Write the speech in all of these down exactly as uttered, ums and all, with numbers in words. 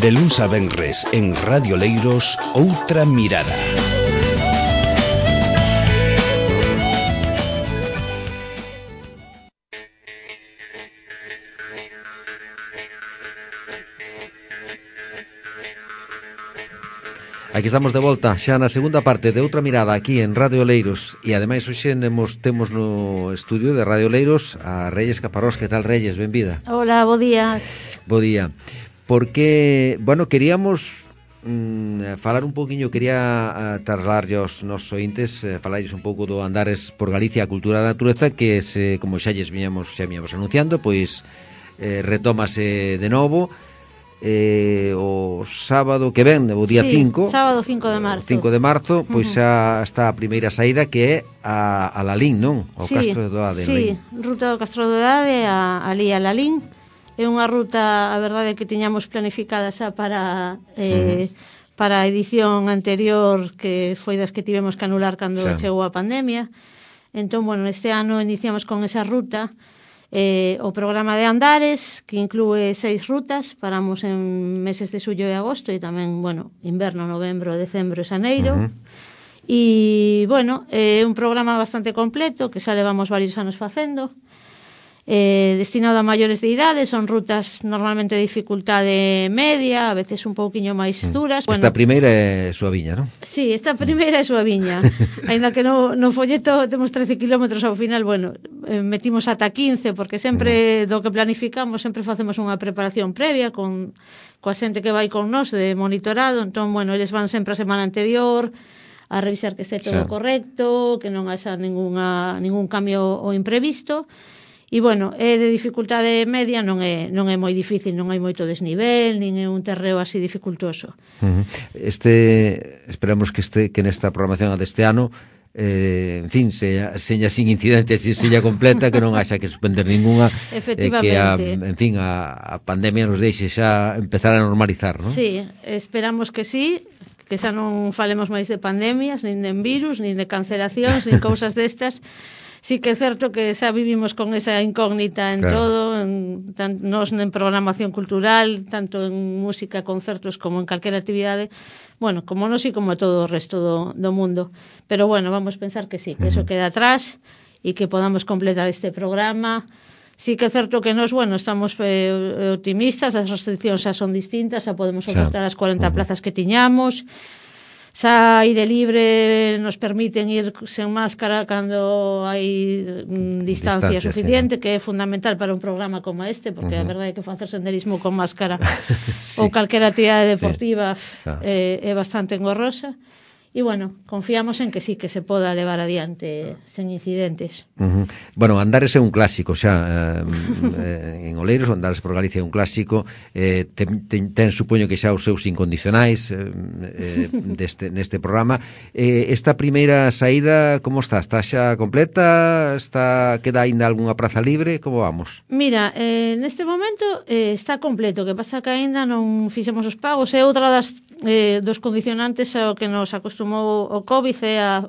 De luns a venres en Radio Leiros, Outra Mirada. Aquí estamos de volta, xa na segunda parte de Outra Mirada aquí en Radio Leiros. E ademais hoxe temos, temos no estudio de Radio Leiros a Reyes Caparrós. Que tal, Reyes? Benvida. Hola, bo día. Bo día. Porque, bueno, queríamos mm, falar un pouquiño, quería uh, trasladar aos nosos ointes, uh, falarles un pouco do Andares por Galicia, a cultura da natureza, que se, como xa lles viñamos, xa viñamos anunciando, pois eh, retómase de novo. Eh, o sábado que ven, o día cinco, sí, sábado cinco de marzo cinco de marzo, pois xa está a primeira saída, que é a, a Lalín, non? O sí, Castro de Doade. Sí, ruta do Castro de Doade a, ali a Lalín. É unha ruta, a verdade, que tiñamos planificada xa para eh, uh-huh. para a edición anterior, que foi das que tivemos que anular cando xa chegou a pandemia. Entón, bueno, este ano iniciamos con esa ruta. Eh, o programa de Andares, que inclúe seis rutas. Paramos en meses de xullo e agosto, e tamén, bueno, inverno, novembro, decembro e xaneiro. Uh-huh. E, bueno, é eh, un programa bastante completo, que xa levamos varios anos facendo. Eh, destinado a maiores de idade, son rutas normalmente de dificultade media, a veces un pouquiño máis duras. Esta bueno, primeira é suaviña, non? Sí, esta primeira é suaviña. Ainda que no, no folleto temos trece kilómetros, ao final, bueno, eh, metimos ata quince, porque sempre do que planificamos sempre facemos unha preparación previa con coa xente que vai con nós de monitorado. Entón, bueno, eles van sempre a semana anterior a revisar que este todo sí. correcto, que non haxa ninguna, ningún cambio ou imprevisto. E, bueno, é de dificultade media, non é non é moi difícil, non hai moito desnivel, nin é un terreo así dificultoso. Uh-huh. Este, esperamos que este que nesta programación deste ano, eh, en fin, seña, seña sin incidentes, seña completa, que non haxa que suspender ninguna, efectivamente. Eh, que a, en fin, a, a pandemia nos deixe xa empezar a normalizar, non? Sí, esperamos que sí, que xa non falemos máis de pandemias, nin de virus, nin de cancelacións, nin cousas destas. Sí que é certo que xa vivimos con esa incógnita en claro. todo, en, tan, nos en programación cultural, tanto en música, concertos, como en calquera actividade, bueno, como nos e como todo o resto do, do mundo. Pero bueno, vamos pensar que sí, que eso queda atrás e que podamos completar este programa. Sí que é certo que nos, bueno, estamos eh, optimistas, as restriccións xa son distintas, xa podemos ofertar as cuarenta uh-huh. plazas que tiñamos. Xa aire libre nos permiten ir sen máscara cando hai mm, distancia, distancia suficiente, sí. que é fundamental para un programa como este, porque uh-huh. a verdade é que facer senderismo con máscara sí. ou calquera actividade deportiva sí. eh, é bastante engorrosa. E, bueno, confiamos en que sí, que se poda levar adiante sen incidentes. Uh-huh. Bueno, Andares é un clásico xa, eh, en Oleiros, Andares por Galicia é un clásico, eh, ten, ten, ten supoño que xa os seus incondicionais eh, eh, deste, neste programa. Eh, esta primeira saída, como está? Está xa completa? Está, queda aínda algunha praza libre? Como vamos? Mira, eh, neste momento eh, está completo, que pasa que aínda non fixemos os pagos, é outra das eh, dos condicionantes ao que nos acostumamos o, o COVID, é a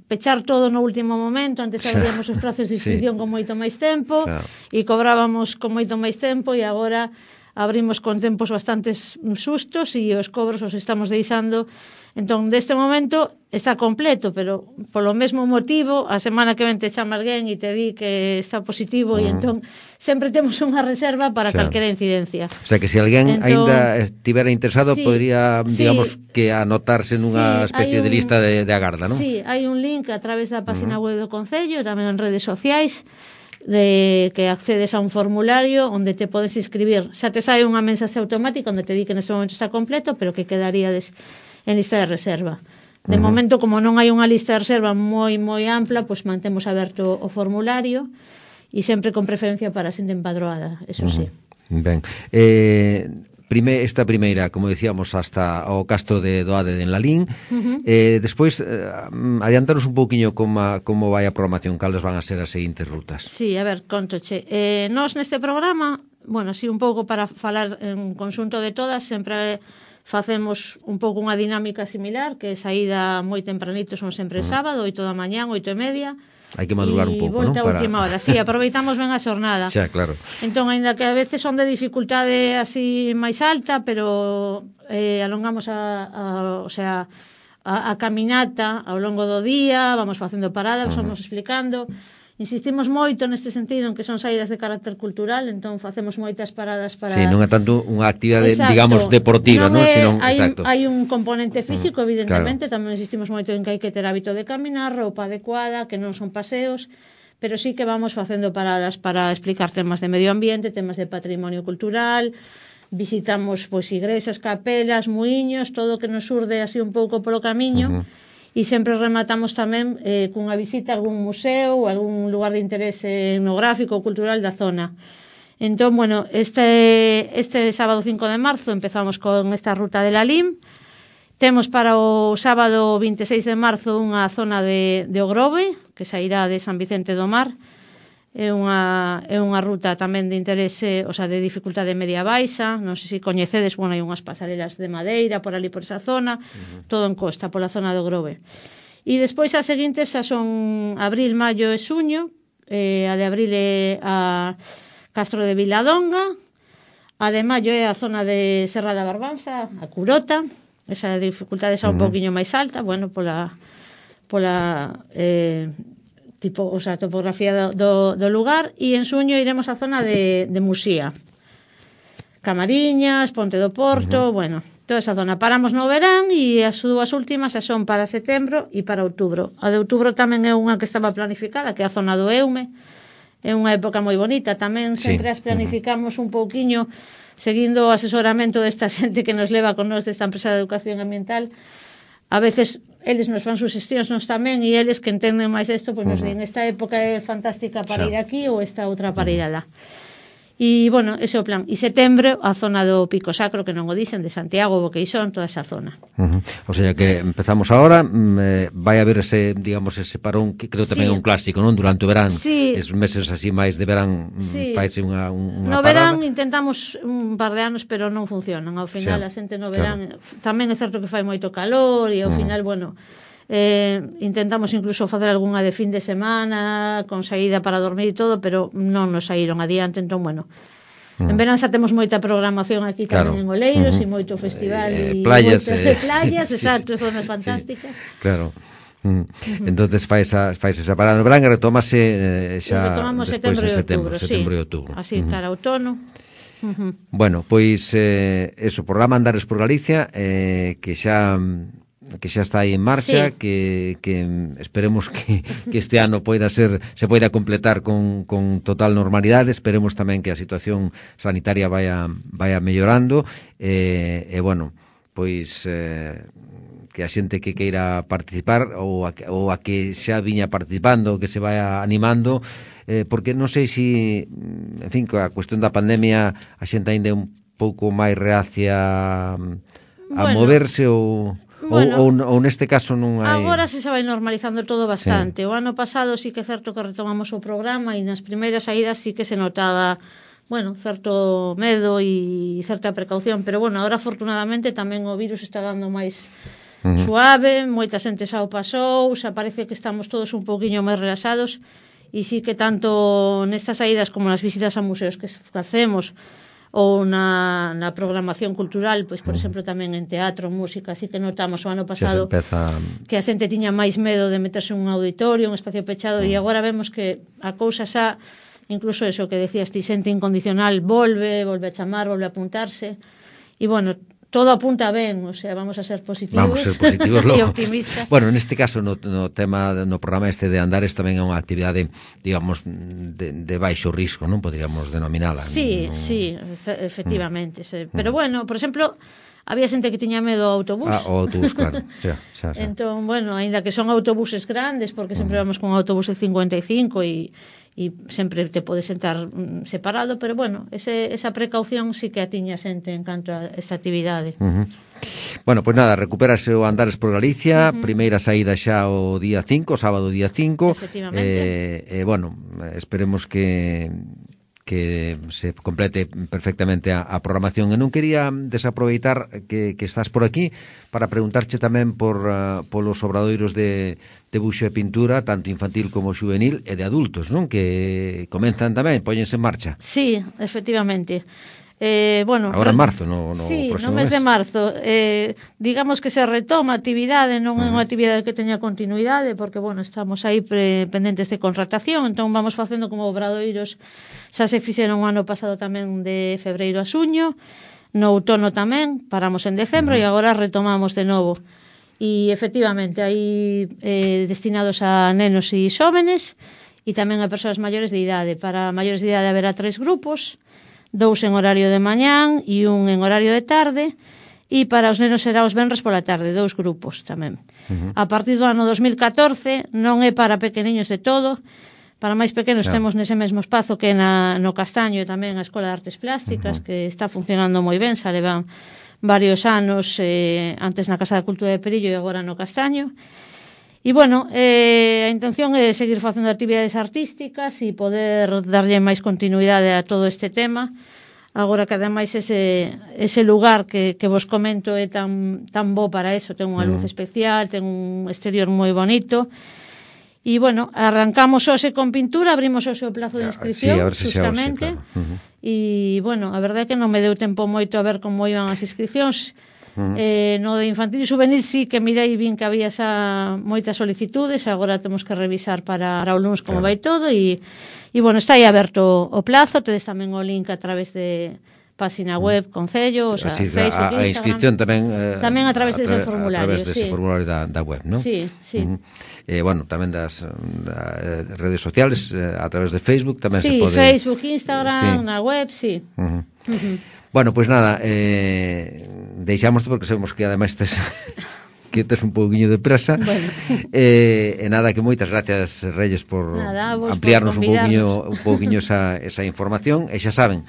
pechar todo no último momento. Antes abríamos os prazos de inscripción sí. con moito máis tempo xa. E cobrábamos con moito máis tempo, e agora abrimos con tempos bastantes sustos e os cobros os estamos deixando. Entón, deste momento está completo, pero polo mesmo motivo, a semana que ven te chama alguén e te di que está positivo, uh-huh. e entón sempre temos unha reserva para xa. calquera incidencia. O sea, que se alguén entón, aínda estivera interesado, sí, podría, digamos, sí, que anotarse nunha sí, especie un, de lista de, de agarda, non? Sí, hai un link a través da página uh-huh. web do Concello, tamén en redes sociais, de que accedes a un formulario onde te podes inscribir. Xa te sai unha mensaxe automática onde te di que nese momento está completo, pero que quedaríades en lista de reserva. De uh-huh. momento, como non hai unha lista de reserva moi moi ampla, pois mantemos aberto o formulario e sempre con preferencia para a xente empadroada, eso uh-huh. sí. Ben, eh, prime, esta primeira, como decíamos, hasta o Castro de Doade de Lalín. Uh-huh. eh, despois, eh, adiantanos un pouquiño como, como vai a programación, cales van a ser as seguintes rutas. Sí, a ver, contoche. Eh, nós neste programa, bueno, así un pouco para falar en conxunto de todas, sempre facemos un pouco unha dinámica similar, que saída moi tempranito, son sempre uh-huh. sábado, oito da mañán, oito e media. hai que madrugar un pouco, non? E volta a última hora, sí, aproveitamos ben a xornada. Xa, claro. Entón, aínda que a veces son de dificultade así máis alta, pero eh, alongamos a, a, o sea, a, a caminata ao longo do día, vamos facendo paradas, uh-huh. vamos explicando. Insistimos moito neste sentido en que son saídas de carácter cultural, entón facemos moitas paradas para... Sí, non é tanto unha actividade, exacto, digamos, deportiva, non? non é, Senón, hai, exacto. hai un componente físico, evidentemente, claro. tamén insistimos moito en que hai que ter hábito de caminar, roupa adecuada, que non son paseos, pero sí que vamos facendo paradas para explicar temas de medio ambiente, temas de patrimonio cultural, visitamos pois igrexas, capelas, muiños, todo o que nos urde así un pouco polo camiño, uh-huh. e sempre rematamos tamén eh, cunha visita a algún museo ou algún lugar de interese etnográfico ou cultural da zona. Entón, bueno, este, este sábado cinco de marzo empezamos con esta ruta de la Lim. Temos para o sábado vinte e seis de marzo unha zona de, de Ogrove, que sairá de San Vicente do Mar. É unha, é unha ruta tamén de interese, o sea, de dificultade media baixa, non sei se coñecedes, bueno, hai unhas pasarelas de madeira por ali por esa zona, uh-huh. todo en costa, pola zona do Grove. E despois as seguintes xa son abril, maio e xuño, eh, a de abril é a Castro de Viladonga, a de maio é a zona de Serra da Barbanza, a Curota, esa dificultade xa un uh-huh. pouquiño máis alta, bueno, pola pola eh, tipo, o sea, topografía do, do, do lugar, e en xuño iremos á zona de, de Musía. Camariñas, Ponte do Porto, uh-huh. bueno, toda esa zona. Paramos no verán e as dúas últimas xa son para setembro e para outubro. A de outubro tamén é unha que estaba planificada, que é a zona do Eume. É unha época moi bonita. Tamén sempre sí. as planificamos uh-huh. un pouquiño seguindo o asesoramento desta xente que nos leva con nos desta empresa de educación ambiental. A veces eles nos fan suxestións nos tamén e eles que entenden máis isto, pois nos uh-huh. din esta época é fantástica para sí. ir aquí ou esta outra para uh-huh. ir alá. E, bueno, ese é o plan. E setembro, a zona do Pico Sacro, que non o dicen, de Santiago, Boqueixón, toda esa zona. Uh-huh. O sea que empezamos ahora, eh, vai haber ese, digamos, ese parón, que creo tamén é sí. un clásico, non? Durante o verán, sí. esos meses así máis de verán, sí. faise unha, unha no parada. verán intentamos un par de anos, pero non funcionan. Ao final, sí. a xente no verán, claro. tamén é certo que fai moito calor, e ao uh-huh. final, bueno... Eh, intentamos incluso facer algunha de fin de semana con saída para dormir e todo, pero non nos saíron adiante, entón, bueno, mm. en verán xa temos moita programación aquí claro. tamén en Oleiros uh-huh. e moito festival eh, e playas, moito, eh, playas, sí, exacto, sí, zonas fantásticas. Sí, claro. Mm. Uh-huh. Entonces fais esa, fais esa parada no verán e retomase eh, xa retomamos despois setembro en setembro, outubro, setembro sí. e outubro. Así, uh-huh. cara outono. Uh-huh. Bueno, pois eh, eso, programa Andares por Galicia, eh, que xa que xa está aí en marcha, sí. que, que esperemos que, que este ano poida ser, se poida completar con, con total normalidade. Esperemos tamén que a situación sanitaria vaya, vaya mellorando, e, eh, eh, bueno, pois eh, que a xente que queira participar ou a, ou a que xa viña participando, que se vaya animando, eh, porque non sei se, en fin, a cuestión da pandemia a xente ainda é un pouco máis reacia a bueno. moverse ou... Bueno, ou, ou, ou neste caso non hai... Agora se se vai normalizando todo bastante. Sí. O ano pasado sí que é certo que retomamos o programa e nas primeiras saídas sí que se notaba, bueno, certo medo e certa precaución, pero bueno, agora afortunadamente tamén o virus está dando máis uh-huh. suave, moita xente xa o pasou, xa parece que estamos todos un pouquiño máis relaxados e sí que tanto nestas saídas como nas visitas a museos que facemos ou na, na programación cultural, pois por exemplo tamén en teatro, música, así que notamos o ano pasado empeza... que a xente tiña máis medo de meterse en un auditorio, un espacio pechado, mm. e agora vemos que a cousa xa, incluso eso que decías ti, xente incondicional volve, volve a chamar, volve a apuntarse, e bueno, todo apunta ben, o sea, vamos a ser positivos, vamos a ser positivos e optimistas. Bueno, neste caso, no, no tema, no programa este de Andares tamén é unha actividade, digamos, de, de baixo risco, non poderíamos denominala. Sí, non... sí, efectivamente. Mm. Sí. Pero bueno, por exemplo, había xente que tiña medo ao autobús. Ah, o autobús, claro. xa, xa, xa. Entón, bueno, aínda que son autobuses grandes, porque sempre mm. vamos con autobús de cincuenta e cinco e e sempre te podes sentar separado, pero bueno, ese, esa precaución sí que a tiña xente en canto a esta actividade. Uh-huh. Bueno, pois pues nada, recupérase o Andares por Galicia, uh-huh. primeira saída xa o día cinco, sábado día cinco. Efectivamente. Eh, eh, bueno, esperemos que que se complete perfectamente a, a programación. E non quería desaproveitar que, que estás por aquí para preguntarche tamén por uh, polos obradoiros de debuxo e pintura, tanto infantil como juvenil e de adultos, non? Que comenzan tamén, póñense en marcha. Sí, efectivamente. Eh, bueno, agora en marzo, no, no sí, próximo no mes, mes de marzo eh, digamos que se retoma a actividade, non é unha actividade que teña continuidade porque, bueno, estamos aí pre, pendentes de contratación, entón vamos facendo como obradoiros, xa se fixeron o ano pasado tamén de febreiro a xuño, no outono tamén, paramos en decembro uh-huh. e agora retomamos de novo. E efectivamente hai eh, destinados a nenos e xóvenes e tamén a persoas maiores de idade. Para maiores de idade haberá tres grupos, dous en horario de mañán e un en horario de tarde, e para os nenos será os venres pola tarde, dous grupos tamén. Uh-huh. A partir do ano dos mil catorce non é para pequeniños de todo, para máis pequenos claro. Temos nese mesmo espazo que na, no Castaño e tamén a Escola de Artes Plásticas, uh-huh. que está funcionando moi ben, xa levan varios anos, eh, antes na Casa da Cultura de Perillo e agora no Castaño. E, bueno, eh, a intención é seguir facendo actividades artísticas e poder darlle máis continuidade a todo este tema. Agora que ademais ese, ese lugar que, que vos comento é tan, tan bo para eso, ten unha luz especial, ten un exterior moi bonito. E, bueno, arrancamos hoxe con pintura, abrimos hoxe o plazo de inscripción, sí, justamente. Claro. Uh-huh. E, bueno, a verdade é que non me deu tempo moito a ver como iban as inscripcións. Uh-huh. Eh, no de infantil e juvenil sí que mirei vin que había xa moitas solicitudes, agora temos que revisar para, para o lunes como claro. Vai todo e, e bueno, está aí aberto o plazo, tedes tamén o link a través de página web, concello, o sea, decir, Facebook, a, a Instagram. inscripción tamén eh, tamén a través a dese formulario, a través dese sí. formulario da, da web, non? Sí, sí. Uh-huh. Eh, bueno, tamén das da, redes sociales, eh, a través de Facebook tamén sí, se pode... Sí, Facebook, Instagram, sí. Na web, sí. Uh-huh. Uh-huh. Bueno, pois pues nada, eh, deixamos porque sabemos que ademais tes, que tes un pouquiño de presa. Bueno. Eh, e nada, que moitas gracias, Reyes, por nada, ampliarnos por un pouquiño, un pouquiño esa, esa información. E xa saben,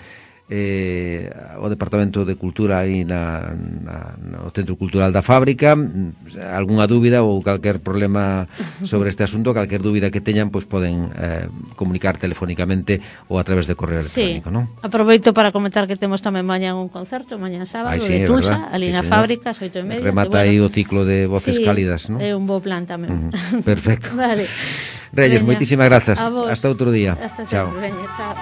eh, o Departamento de Cultura aí na, na, no Centro Cultural da Fábrica, algunha dúbida ou calquer problema sobre este asunto, calquer dúbida que teñan, pois poden eh, comunicar telefónicamente ou a través de correo electrónico, sí. Non? Aproveito para comentar que temos tamén mañá un concerto, mañá sábado, Ay, sí, de Tulsa, ali sí, na fábrica, oito e media. Remata aí bueno, o ciclo de voces sí, cálidas, non? É un bo plan tamén. Uh-huh. Perfecto. Vale. Reyes, veña, moitísimas grazas. Hasta outro día. Hasta chao. Sempre. Veña, chao.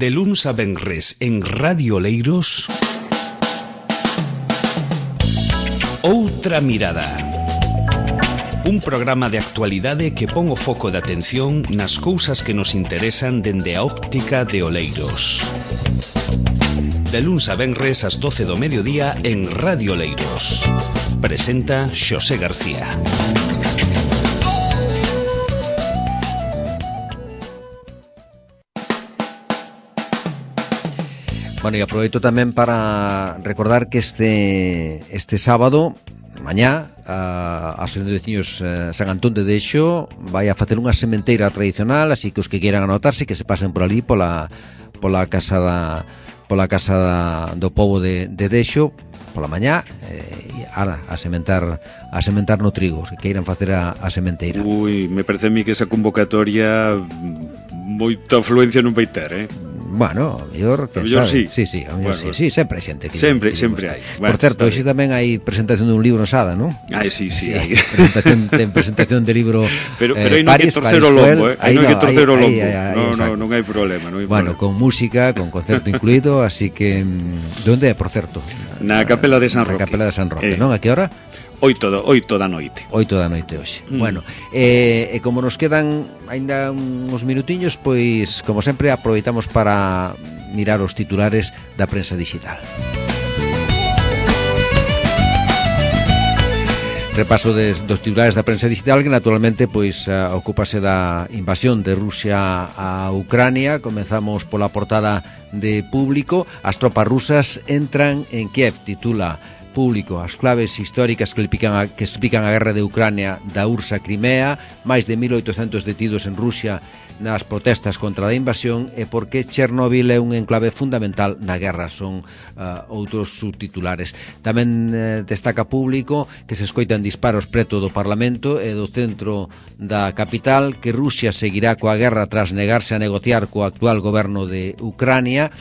De luns a venres en Radio Leiros, Outra Mirada. Un programa de actualidade que pon o foco de atención nas cousas que nos interesan dende a óptica de Oleiros. De luns a venres ás doce do mediodía en Radio Leiros. Presenta Xosé García. Bueno, e aproveito tamén para recordar que este este sábado, mañá, a, a Asociación de Veciños eh, San Antón de Dexo vai a facer unha sementeira tradicional, así que os que quieran anotarse que se pasen por ali pola pola casa da pola casa da, do pobo de, de Dexo pola mañá eh, a, a sementar a sementar no trigo, os que queiran facer a, a sementeira. Ui, me parece a mí que esa convocatoria moita afluencia non vai ter, eh? Bueno, a mellor, que sabe? Sí, sí, sí, a mellor bueno, sí, sí, sempre hai xente que sempre, que sempre hai. Bueno, por certo, hoxe tamén hai presentación dun libro en Sada, non? Ai, sí, sí, sí hai. Presentación, ten presentación de libro Pero eh, pero aí non hai que torcer o lombo, eh? Aí non hai que torcer o lombo. No, no, non hai problema, non hai Bueno, problema. con música, con concerto incluído, así que onde é, por certo? Na Capela de San Roque. Na Capela de San Roque, eh. non? A que hora? Oito, do, oito da noite. Oito da noite hoxe. Mm. Bueno, e eh, como nos quedan aínda uns minutiños, pois, como sempre, aproveitamos para mirar os titulares da prensa digital. repaso des, dos titulares da prensa digital, que naturalmente pois uh, ocúpase da invasión de Rusia a Ucrania. Comezamos pola portada de Público. As tropas rusas entran en Kiev, titula Público, as claves históricas que explican a, que explican a guerra de Ucrania da U R S S a Crimea, máis de mil oitocentos detidos en Rusia nas protestas contra a invasión, e porque Chernobyl é un enclave fundamental na guerra, son uh, outros subtitulares. Tamén uh, destaca Público que se escoitan disparos preto do Parlamento e do centro da capital, que Rusia seguirá coa guerra tras negarse a negociar co actual goberno de Ucrania.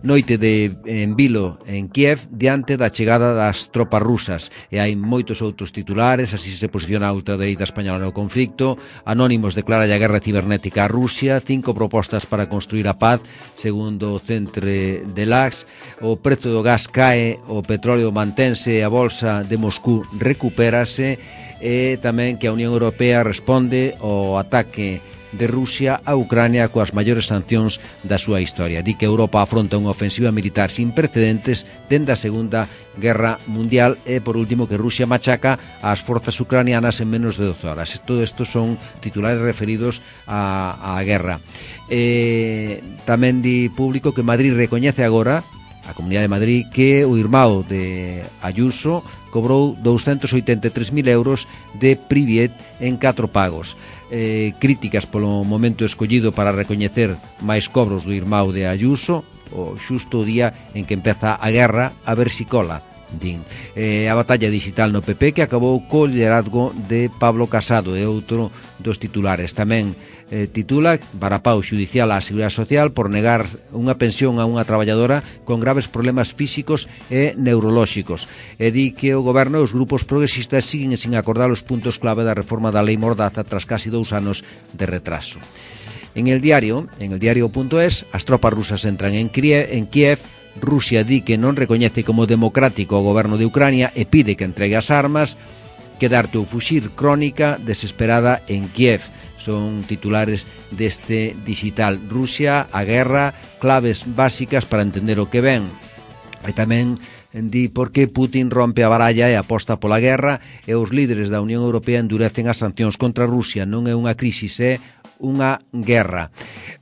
Noite de en vilo en Kiev diante da chegada das tropas rusas, e hai moitos outros titulares. Así se posiciona a ultradereita española no conflicto. Anónimos declara a guerra cibernética a Rusia. Cinco propostas para construir a paz, segundo o Centre de Lax. O prezo do gas cae, o petróleo mantense, a bolsa de Moscú recupérase, e tamén que a Unión Europea responde ao ataque de Rusia a Ucrania coas maiores sancións da súa historia. Di que Europa afronta unha ofensiva militar sin precedentes dende a Segunda Guerra Mundial, e por último que Rusia machaca ás forzas ucranianas en menos de doce horas. Todo isto son titulares referidos á, á guerra. E tamén di Público que Madrid recoñece agora, a Comunidade de Madrid, que o irmão de Ayuso cobrou doscientos oitenta e tres mil euros de Priviet en catro pagos. Eh, críticas polo momento escollido para recoñecer máis cobros do irmão de Ayuso, o xusto o día en que empeza a guerra, a ver si cola, din. Eh, a batalla digital no P P, que acabou co liderazgo de Pablo Casado, é outro dos titulares. Tamén eh, titula varapau xudicial á Seguridade Social por negar unha pensión a unha traballadora con graves problemas físicos e neurolóxicos, e di que o goberno e os grupos progresistas siguen sin acordar os puntos clave da reforma da Lei Mordaza tras casi dous anos de retraso. En el diario, en el diario.es, as tropas rusas entran en Kiev, en Kiev. Rusia di que non recoñece como democrático o goberno de Ucrania e pide que entregue as armas. Quedarte ou fuxir, crónica desesperada en Kiev. Son titulares deste digital. Rusia, a guerra, claves básicas para entender o que ven. E tamén di por que Putin rompe a baralla e aposta pola guerra, e os líderes da Unión Europea endurecen as sancións contra Rusia. Non é unha crisis, é unha guerra.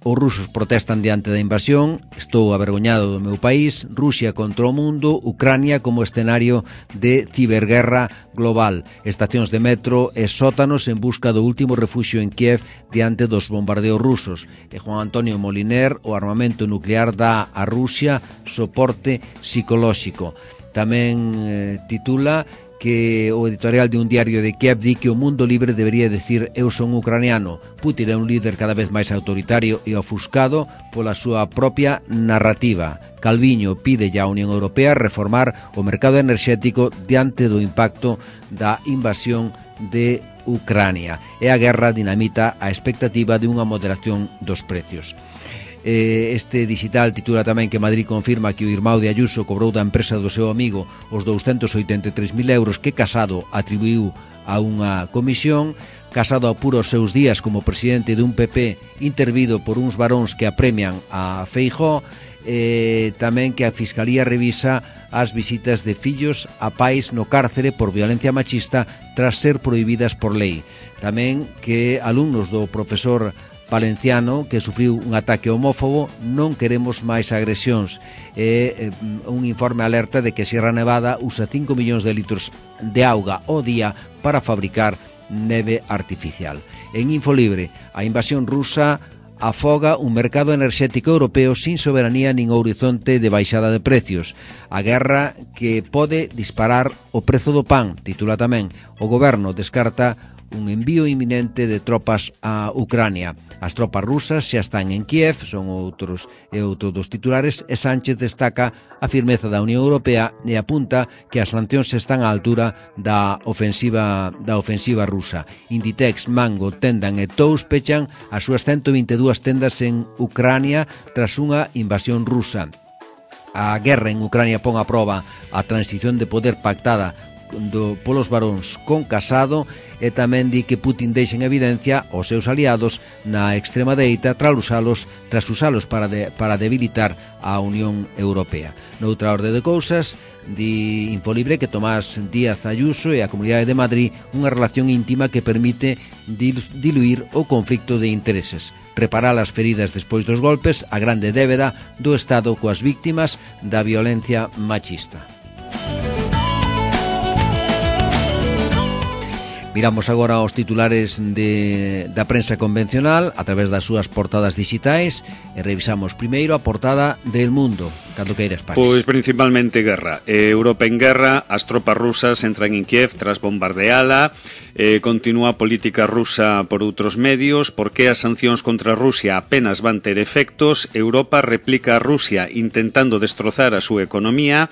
Os rusos protestan diante da invasión. Estou avergoñado do meu país. Rusia contra o mundo. Ucrania como escenario de ciberguerra global. Estacións de metro e sótanos en busca do último refuxio en Kiev diante dos bombardeos rusos. E Juan Antonio Moliner, o armamento nuclear dá a Rusia soporte psicolóxico. Tamén eh, titula que o editorial de un diario de Kiev di que o mundo libre debería decir eu son ucraniano. Putin é un líder cada vez máis autoritario e ofuscado pola súa propia narrativa. Calviño pide ya a Unión Europea reformar o mercado enerxético diante do impacto da invasión de Ucrania. E a guerra dinamita a expectativa de unha moderación dos precios. Este digital titula tamén que Madrid confirma que o irmão de Ayuso cobrou da empresa do seu amigo os doscientos oitenta e tres mil euros que Casado atribuiu a unha comisión. Casado apura os seus días como presidente dun P P intervido por uns varóns que apremian a Feijóo. E tamén que a Fiscalía revisa as visitas de fillos a pais no cárcere por violencia machista tras ser prohibidas por lei. Tamén que alumnos do profesor valenciano que sufriu un ataque homófobo, non queremos máis agresións. E eh, un informe alerta de que Sierra Nevada usa cinco millóns de litros de auga ao día para fabricar neve artificial. En Infolibre, a invasión rusa afoga un mercado enerxético europeo sin soberanía nin horizonte de baixada de precios. A guerra que pode disparar o prezo do pan, titula tamén. O goberno descarta un envío inminente de tropas a Ucrania. As tropas rusas xa están en Kiev, son outros e outros dos titulares, e Sánchez destaca a firmeza da Unión Europea e apunta que as sancións están á altura da ofensiva da ofensiva rusa. Inditex, Mango, Tendan e Tous pechan as súas ciento vinte e dúas tendas en Ucrania tras unha invasión rusa. A guerra en Ucrania pon a proba a transición de poder pactada do, polos varóns con Casado, e tamén di que Putin deixa en evidencia os seus aliados na extrema dereita tras usalos, tras usalos para, de, para debilitar a Unión Europea. Noutra orde de cousas, di Infolibre que Tomás Díaz Ayuso e a Comunidade de Madrid unha relación íntima que permite diluir o conflicto de intereses, reparar as feridas despois dos golpes, a grande débeda do Estado coas víctimas da violencia machista. Miramos agora aos titulares de, da prensa convencional a través das súas portadas digitais e revisamos primeiro a portada del Mundo. Cando queiras, Paris. Pois principalmente guerra. Eh, Europa en guerra, as tropas rusas entran en Kiev tras bombardeala, eh, continúa a política rusa por outros medios, porque as sancións contra Rusia apenas van ter efectos, Europa replica a Rusia intentando destrozar a súa economía,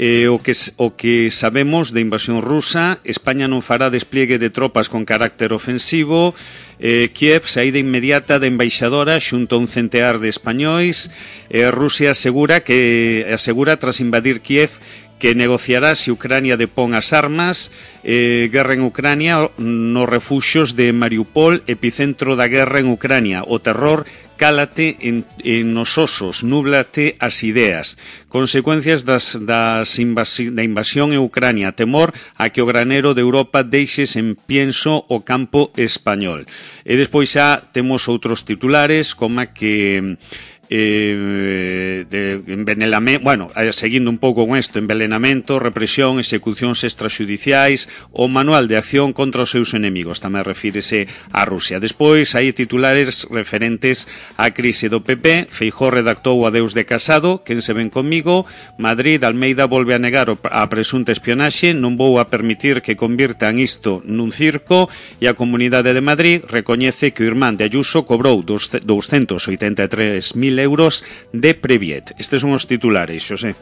eh, o, que, o que sabemos de invasión rusa, España non fará despliegue de tropas con carácter ofensivo, eh, Kiev saída inmediata da embaixadora xunto a un centear de españois, eh, Rusia asegura que asegura tras invadir Kiev que negociará se Ucrania depón as armas, eh, guerra en Ucrania nos refuxios de Mariupol, epicentro da guerra en Ucrania, o terror cálate en, en nos osos, núblate as ideas. Consecuencias das, das invasi, da invasión en Ucrania, temor a que o granero de Europa deixe sen pienso o campo español. E despois xa temos outros titulares, como que Eh, de envenenamento, bueno, seguindo un pouco con isto, envenenamento, represión, execucións extrajudiciais, o manual de acción contra os seus enemigos, tamén refírese a Rusia. Despois hai titulares referentes á crise do P P, Feijóo redactou o adeus de Casado, quen se ven comigo, Madrid, Almeida volve a negar a presunta espionaxe, non vou a permitir que convirtan isto nun circo, e a Comunidade de Madrid recoñece que o irmán de Ayuso cobrou doscientos oitenta e tres mil euros de Previet. Estes son os titulares, Xosé.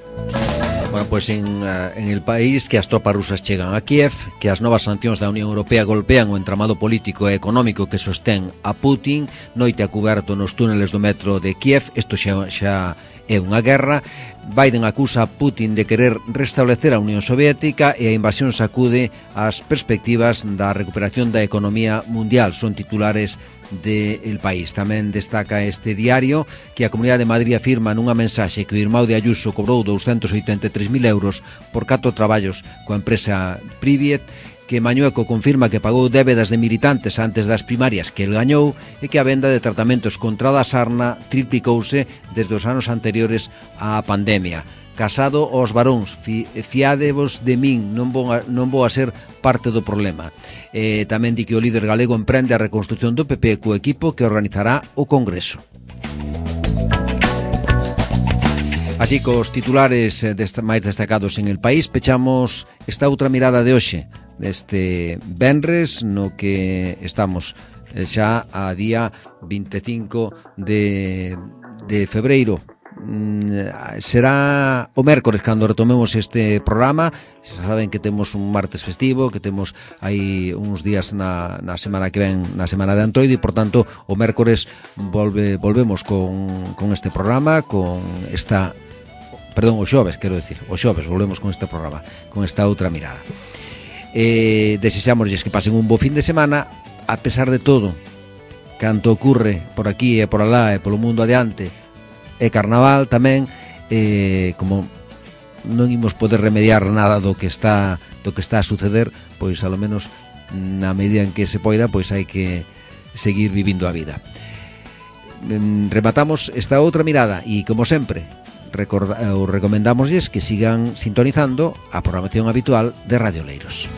Bueno, pois pues en, uh, en el país que as tropas rusas chegan a Kiev, que as novas sancións da Unión Europea golpean o entramado político e económico que sostén a Putin, noite a cuberto nos túneles do metro de Kiev, isto xa, xa é unha guerra. Biden acusa a Putin de querer restablecer a Unión Soviética e a invasión sacude as perspectivas da recuperación da economía mundial. Son titulares del País. Tamén destaca este diario que a Comunidade de Madrid afirma nunha mensaxe que o irmão de Ayuso cobrou doscientos oitenta e tres mil euros por catro traballos coa empresa Priviet, que Mañueco confirma que pagou débedas de militantes antes das primarias que el gañou e que a venda de tratamentos contra a sarna triplicouse desde os anos anteriores á pandemia. Casado aos varóns, fi, fiádevos de min, non vou, a, non vou a ser parte do problema. Eh, tamén di que o líder galego emprende a reconstrucción do P P co equipo que organizará o Congreso. Así cos titulares desta, máis destacados en el país, pechamos esta outra mirada de hoxe, deste venres, no que estamos xa a día vinte e cinco de, de febreiro. Será o mércores cando retomemos este programa. Saben que temos un martes festivo, que temos aí uns días na, na semana que ven, na semana de Antoide, e por tanto o mércores volve, volvemos con, con este programa, con esta, perdón, o xoves, quero decir, o xoves volvemos con este programa, con esta outra mirada. Eh, desexámosles que pasen un bo fin de semana, a pesar de todo, canto ocurre por aquí e por alá e polo mundo adiante. E carnaval tamén, eh, como non imos poder remediar nada do que está do que está a suceder, pois a lo menos na medida en que se poida, pois hai que seguir vivindo a vida. Rematamos esta outra mirada e, como sempre, recorda, recomendamosles que sigan sintonizando a programación habitual de Radio Oleiros.